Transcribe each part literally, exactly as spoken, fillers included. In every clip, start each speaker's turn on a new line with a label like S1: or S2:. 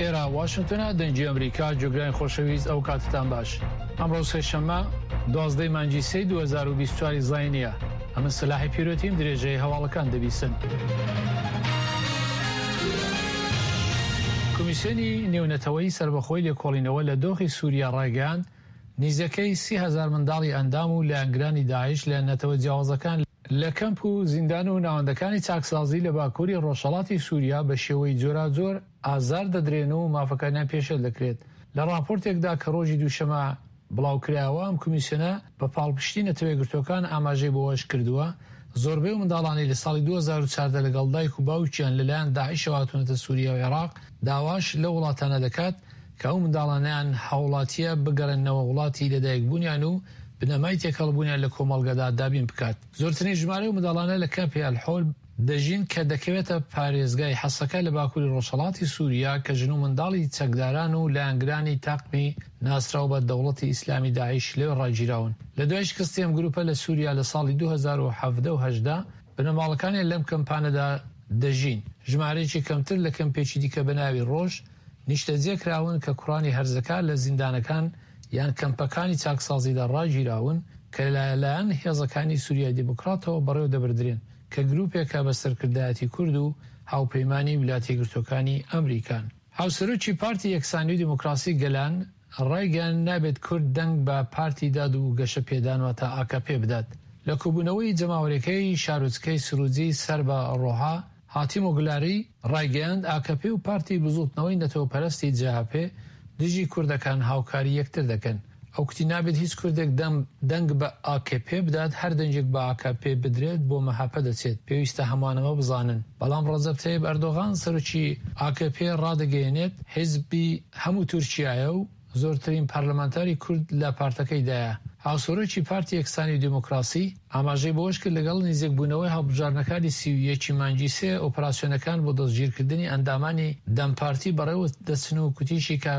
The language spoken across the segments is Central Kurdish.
S1: ئێرە واشنتۆنە، دەنگی ئەمریکا، گوێگرانی خۆشەویست ئەو کاتتان باش. ئەمڕۆ سێشەممە دوازدەی مانگی سێی دوو هەزار و بیست و چوار زاینیە. ئەمن سەلاحی پیرۆتیم، درێژەی هەواڵەکان دەبیسن. کۆمیسیۆنی نێونەتەوەیی سەربەخۆی لێکۆڵینەوە لە دۆخی سووریا ڕایگەیاند، نزیکەی سی هەزار منداڵی ئەندام و لایەنگرانی داعش لە نەتەوە جیاوازەکان لە کەمپ و زیندان و ناوەندەکانی چاکسازی لە باکووری ڕۆژهەڵاتی سووریا بە شێوەی جۆراجۆر ئازار دەدرێن و مافەکانیان پێشێل دەکرێت. لە ڕاپۆرتێکدا کە ڕۆژی دووشەمە بڵاوکرایەوە، ئەم کۆمیسیۆنە بە پاڵپشتی نەتەوە یەکگرتووەکان ئاماژەی بەوەش کردووە، زۆربەی منداڵانی لە ساڵی دوو هەزار و چواردە لەگەڵ دایک و باوکیان لەلایەن داعشەوە هاتوونەتە سووریا و عێراق، داواش لەو وڵاتانە دەکات کە ئەو منداڵانیان هاوڵاتیە بگەڕێننەوە وڵاتی لەدایکبوونیان و بنەمای تێکەڵبوونیان لە کۆمەڵگەدا دابین بکات. زۆرترین ژمارەی ئەو منداڵانە لە کەمپی ئەلحۆل دەژین کە دەکەوێتە پارێزگای حەسەکە لە باکووری ڕۆژهەڵاتی سووریا، کە ژن و منداڵی چەکداران و لایەنگرانی تاقمی ناسراو بە دەوڵەتی ئیسلامی داعش لەوێ ڕاگیراون. لە دوای شکستی ئەم گروپە لە سووریا لە ساڵی دوو هەزار و حەڤدە و هەژدە، بنەماڵەکانیان لەم کەمپانەدا دەژین. ژمارەیەکی کەمتر لە کەمپێکی دیکە بە ناوی ڕۆژ نیشتەجێ کراون کە کوڕانی هەرزەکار لە زیندانەکان یان کەمپەکانی چاکسازیدا ڕاگیراون کە لەلایەن هێزەکانی سووریای دیموکراتەوە بەڕێوە دەبردرێن، کە گروپێکە بە سەرکردایەتی کورد و هاوپەیمانی ویلایەتە یەکگرتووەکانی ئەمریکان. هاوسەرۆکی پارتی یەکسانی و دیموکراسی گەلان ڕایگەیاند، نابێت کورد دەنگ بە پارتی داد و گەشە پێدان واتە ئاکەپێ بدات. لە کۆبوونەوەی جەماوەریەکەی شارۆچکەی سروجی سەر بە ڕۆها، هاتیمۆگلاری ڕایگەیاند، ئاکەپێ و پارتی بزووتنەوەی نەتەوەپەرستی جەهەپێ دژی کوردەکان هاوکاری یەکتر دەکەن. ئەو کوتی نابێت هیچ کوردێک دەنگ بە ئاکەپێ بدات، هەر دەنگێک بە ئاکەپێ بدرێت بۆ مەهەپە دەچێت، پێویستە هەمووان ئەمە بزانن. بەڵام ڕەجەب تەیب ئەردۆغان سەرۆکی ئاکەپێ ڕادەگەیەنێت حیزبی هەموو تورکیایە و زۆرترین پەرلەمانتاری کورد لە پارتەکەیدایە. هاوسەرۆکی پارتی یەکسانی و دیموکراسی ئاماژەی بەوەش کرد، لەگەڵ نزیکبوونەوەی هەڵبژاردنەکانی سی و یەکی مانگی سێ، ئۆپەراسیۆنەکان بۆ دەستگیرکردنی ئەندامانی دەم پارتی بەڕێوە دەچن و کوتیشی کە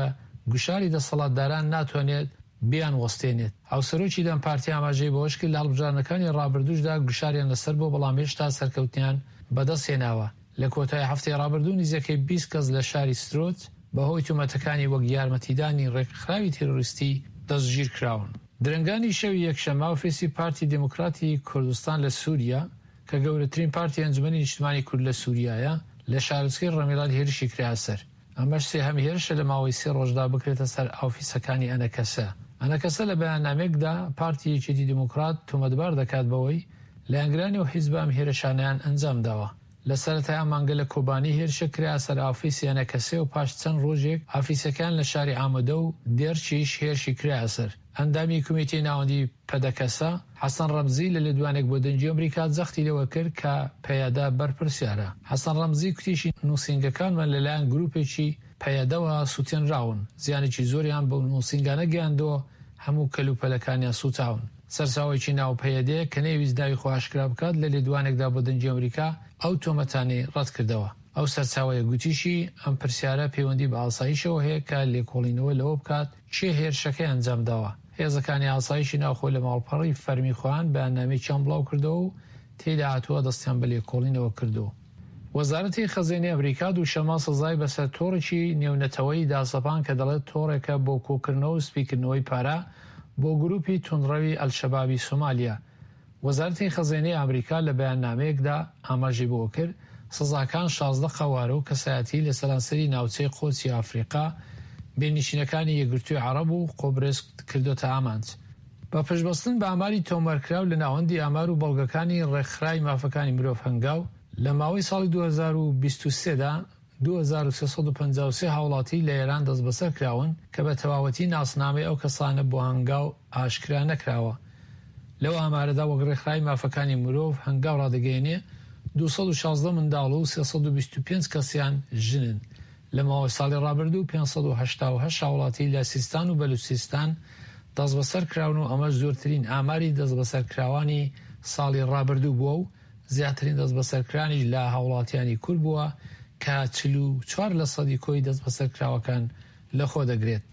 S1: گوشاری دەسەڵاتداران ناتوانێت بیان وەستێنێت. هاوسەرۆکی دەم پارتی ئاماژەی بەوەش کرد، لە هەڵبژاردنەکانی ڕابردووشدا گوشاریان لەسەر بووە، بەڵام هێشتا سەرکەوتنیان بەدەستهێناوە. لە کۆتایی هەفتەی ڕابردوو نزیکەی بیست کەس لە شاری سترۆت بەهۆی تۆمەتەکانی وەک یارمەتیدانی ڕێکخراوی تیرۆریستی دەستگیر کراون. درەنگانی شەوی یەکشەممە ئۆفیسی پارتی دیموکراتی کوردستان لە سووریا کە گەورەترین پارتی ئەنجومەنی نیشتمانی کورد لە سووریایە، لە شارۆچکەی ڕەمیڵات هێرشی کرایە سەر. ئەمەش سێهەم هێرشە لە ماوەی سێ ڕۆژدا بکرێتە سەر ئۆفیسەکانی ئەنەکەسە. ئەنەکەسە لە بەیاننامەیەکدا پارتی یەکێتی دیموکرات تۆمەتبار دەکات بەوەی لایەنگرانی ئەو حیزبە ئەم هێرشانەیان ئەنجام داوە. لە سەرەتای ئەم مانگە لە کۆبانی هێرشە کرا سەر ئۆفیسی ئەنەکەسێ و پاش چەند ڕۆژێک ئۆفیسەکان لە شاری ئامەدە و دێرچیش هێرشی کرا سەر. ئەندامی کۆمیتەی ناوەندی پەدەکەسە حەسەن ڕەمزی لە لێدوانێک بۆ دەنگی ئەمریکا جەختی لەوە کرد کە پەیەدە بەرپرسیارە. حەسەن ڕەمزی کوتیشی نووسینگەکانمان لەلایەن گروپێکی پەیەدەوە سووتێنراون، زیانێکی زۆریان بەو نووسینگانە گەیاندووە، هەموو کەلوپەلەکانیان سووتاون. سەرچاوەیەکی ناو پەیەدە کە نەیویست ناوی خۆ ئاشکرا بکات لە لێدوانێکدا بۆ دەنگی ئەمریکا ئەو تۆمەتانەی ڕەت کردەوە. ئەو سەرچاوەیە گوتیشی ئەم پرسیارە پەیوەندی بە ئاسایشەوە هەیە کە لێکۆڵینەوە لەوە بکات کێ هێرشەکەی ئەنجام داوە. هێزەکانی ئاسایشی ناوخۆ لە ماڵپەڕی فەرمی خۆیان بەیاننامەیەکیان بڵاو کردەوە و تێیدا هاتووە دەستیان بە لێکۆڵینەوە کردووە. وەزارەتی خەزێنەی ئەمریکا دووشەممە سزای بەسەر تۆڕێکی نێونەتەوەیی داسەپان کە دەڵێت تۆڕێکە بۆ کۆکردنەوە و سپیکردنەوەی پارە بۆ گروپی توندڕەوی ئەلشەبابی سۆمالیا. وەزارەتی خەزێنەی ئەمریکا لە بەیاننامەیەکدا ئاماژەی بەوە کرد، سزاکان شازدە قەوارە و کەسایەتی لە سەرانسەری ناوچەی قۆچی ئەفریقا، بێنشینەکانی یەکگرتووی عەرەب و قوبرس کردۆتە ئامانج. بە پشتبەستن بە ئاماری تۆمارکراو لە ناوەندی ئامار و بەڵگەکانی ڕێکخراوی مافەکانی مرۆڤ هەنگاو، لە ماوەی ساڵی دوو هەزار و بیست و سێ دا دوو هەزار و سێ سەد و پەنجا و سێ هاوڵاتی لە ئێران دەستبەسەر کراون کە بە تەواوەتی ناسنامەی ئەو کەسانە بۆ هەنگاو ئاشکرا نەکراوە. لەو ئامارەدا وەک ڕێکخراوی مافەکانی مرۆڤ هەنگاو ڕادەگەیەنێ دوو سەد و شازدە منداڵ و سێ سەد و بیست و پێنج کەسیان ژنن. لە ماوەی ساڵی ڕابردوو پێنج سەد و هەشتا و هەشت هاوڵاتی لە سیستان و بەلوچستان دەستبەسەر کراون و ئەمەش زۆرترین ئاماری دەستبەسەرکراوانی ساڵی ڕابردوو بووە و زیاترین دەستبەسەرکرانیش لە هاوڵاتیانی کورد بووە کە چل و چوار لە سەدی کۆی دەستبەسەرکراوەکان لەخۆ دەگرێت.